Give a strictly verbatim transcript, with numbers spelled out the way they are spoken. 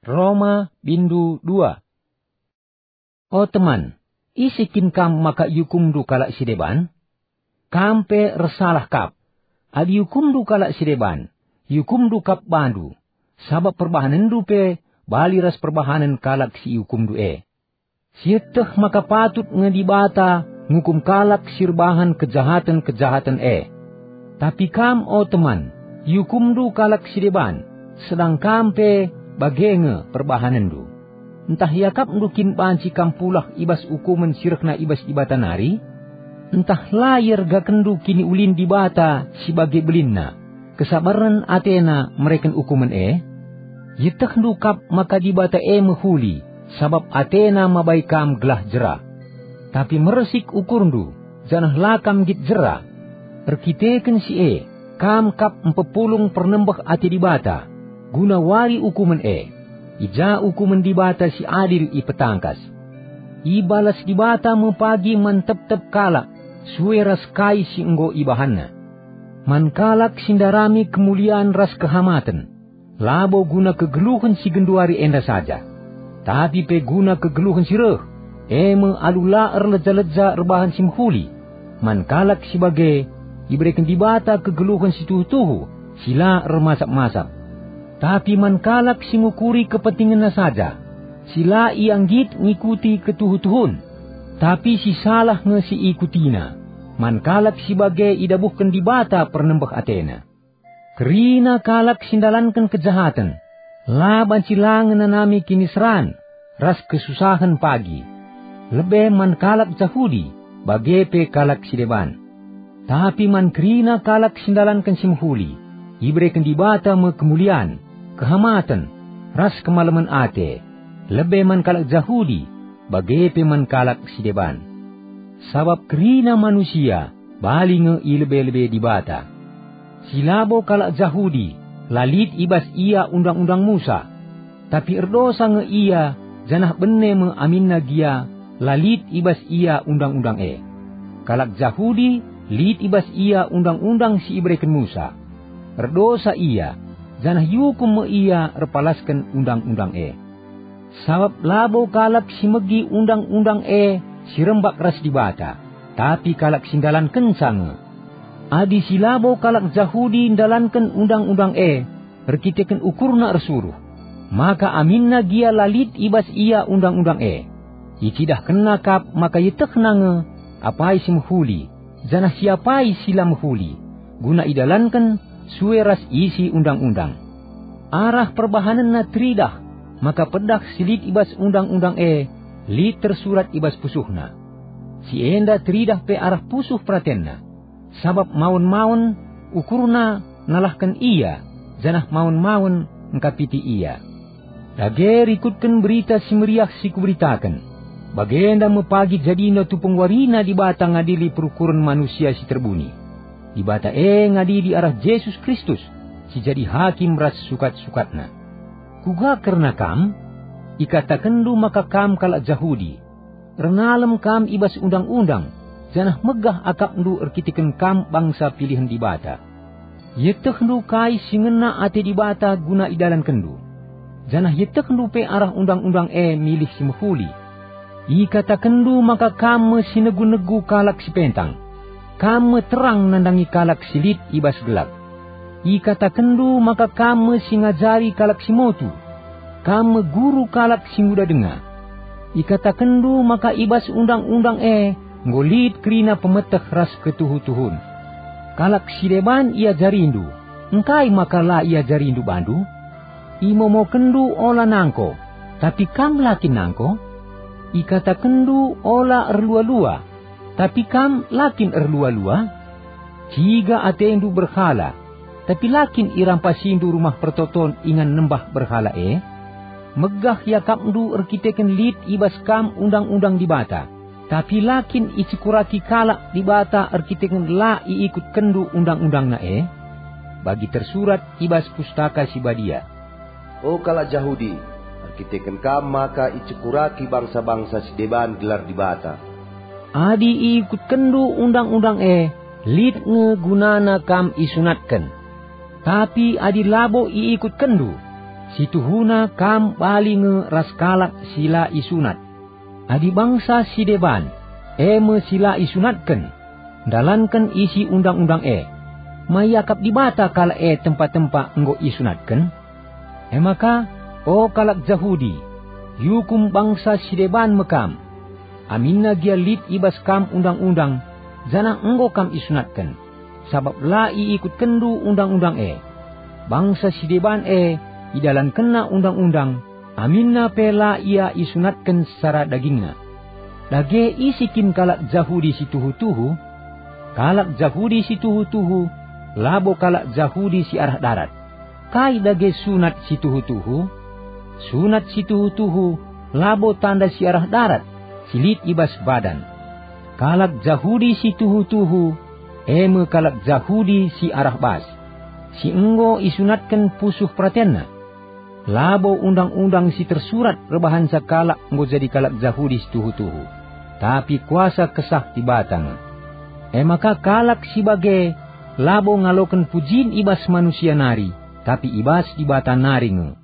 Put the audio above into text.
Roma bindu dua. O teman, ise kin kam maka iukumndu kalak si deban? Kam pe ersalah kap. Adi iukumndu kalak si deban, iukumndu kap bandu, sabap perbahanenndu pe bali ras perbahanen kalak si iukumndu e. Sieteh maka patut nge Dibata ngukum kalak si erbahan kejahaten-kejahaten e. Tapi kam, o teman, iukumndu kalak si deban, sedang kam pe bage nge perbahanenndu. Ntah iakapndu kin banci kam pulah i bas ukumen si rehna i bas Dibata nari? Ntah la iergakenndu kiniulin Dibata si bage belinna, kesabaren atena mereken ukumen e? Ietehndu kap maka Dibata e mehuli, sabap atena mabai kam gelah jera. Tapi mersik ukurndu, janah la kam nggit jera. Erkiteken si e, kam kap mpepulung pernembeh ate Dibata, guna wari ukumen e. I ja ukumen Dibata si adil ipetangkas. Ibalas Dibata me pagi man tep-tep kalak, sue ras kai si enggo ibahanna. Man kalak si ndarami kemulian ras kehamaten, labo guna kegeluhen si genduari enda saja, tapi pe guna kegeluhen si reh, e me alu la erleja-leja erbahan si mehuli. Man kalak si bage, ibereken Dibata kegeluhen si tuhu-tuhu, si la ermasap-masap. Tapi man kalak si ngukuri kepentingenna saja, si la ia nggit ngikuti ketuhu-tuhun, tapi si salah nge si ikutina, man kalak si bage idabuhken Dibata pernembeh atena. Kerina kalak si ndalanken kejahaten, la banci la ngenanami kiniseran ras kesusahen pagi, lebe man kalak Jahudi, bage pe kalak si deban. Tapi man kerina kalak si ndalanken si mehuli, ibereken Dibata me kemulian, kehamaten, ras kemalemen ate, lebe man kalak Jahudi, bage pe man kalak si deban. Sabap kerina manusia bali nge i lebe-lebe Dibata. Si labo kalak Jahudi la lit i bas ia Undang-undang Musa, tapi erdosa nge ia, janah bene me aminna gia la lit i bas ia Undang-undang e. Kalak Jahudi lit i bas ia Undang-undang si ibereken Musa. Erdosa ia, janah iukum me ia erpalasken Undang-undang e. Sabap labo kalak si megi Undang-undang e si rembak ras Dibata, tapi kalak si ndalankenca nge. Adi si labo kalak Jahudi ndalanken Undang-undang e erkiteken ukurna ersuruh, maka aminna gia la lit i bas ia Undang-undang e. Icidahkenna kap maka ietehna nge apai si mehuli, janah siapai si la mehuli, guna idalanken sue ras isi Undang-undang. Arah perbahanenna teridah maka pedah si lit i bas Undang-undang e lit tersurat i bas pusuhna. Si enda teridah pe arah pusuh peratenna, sabap maun-maun ukurna nalahken ia, janah maun-maun engkapiti ia. Dage rikutken Berita Si Meriah si kuberitaken, bagenda me pagi jadina tupung warina Dibata ngadili perukuren manusia si terbuni. Dibata e ngadili arah Jesus Kristus, si jadi hakim ras sukat-sukatna. Kuga kerna kam? Ikatakenndu maka kam kalak Jahudi. Ernalem kam i bas Undang-undang, janah megah akapndu erkiteken kam bangsa pilihen Dibata. Ietehndu kai si ngena ate Dibata guna idalankenndu, janah ietehndu pe arah Undang-undang e milih si mehuli. Ikatakenndu maka kam me si negu-negu kalak si pentang, kam me terang nandangi kalak si lit i bas gelap. Ikatakenndu maka kam me si ngajari kalak si motu, kam me guru kalak si nguda denga. Ikatakenndu maka i bas Undang-undang e enggo lit kerina pemeteh ras ketuhu-tuhun. Kalak si deban iajarindu, engkai maka la iajarindu bandu? Imomokenndu ola nangko, tapi kam la kin nangko? Ikatakenndu ola erlua-lua, tapi kam la kin erlua-lua? Ciga atendu berhala, tapi la kin irampasindu rumah pertoton ingan nembah berhala e? Megah iakapndu erkiteken lit i bas kam Undang-undang Dibata, tapi la kin icekuraki kalak Dibata erkiteken la iikutkenndu Undang-undangNa e? Bagi tersurat i bas Pustaka Si Badia, "O kalak Jahudi, erkiteken kam maka icekuraki bangsa-bangsa si deban gelar Dibata." Adi iikutkenndu Undang-undang e, lit nge gunana kam isunatken. Tapi adi labo iikutkenndu, Si tuhuna kam bali nge ras kalak si la isunat. Adi bangsa si deban, e me si la isunatken, ndalanken isi undang-undang e, ma iakap Dibata kalak e tempa-tempa enggo isunatken? E maka, o kalak Jahudi, iukum bangsa si deban me kam, aminna gia lit i bas kam undang-undang, janah enggo kam isunatken, sabap la iikutkenndu undang-undang e. Bangsa si deban e idalankenna undang-undang, aminna pe la ia isunatken secara dagingna. Dage ise kin kalak Jahudi si tuhu-tuhu? Kalak Jahudi si tuhu-tuhu labo kalak Jahudi si arah darat. Kai dage sunat si tuhu-tuhu? Sunat si tuhu-tuhu labo tanda si arah darat, si lit i bas badan. Kalak Jahudi si tuhu-tuhu, e me kalak Jahudi si arah bas, si enggo isunatken pusuh peratenna. Labo undang-undang si tersurat erbahanca kalak enggo jadi kalak Jahudi si tuhu-tuhu, tapi kuasa Kesah Dibata nge. E maka kalak si bage labo ngaloken pujin i bas manusia nari, tapi i bas Dibata nari nge.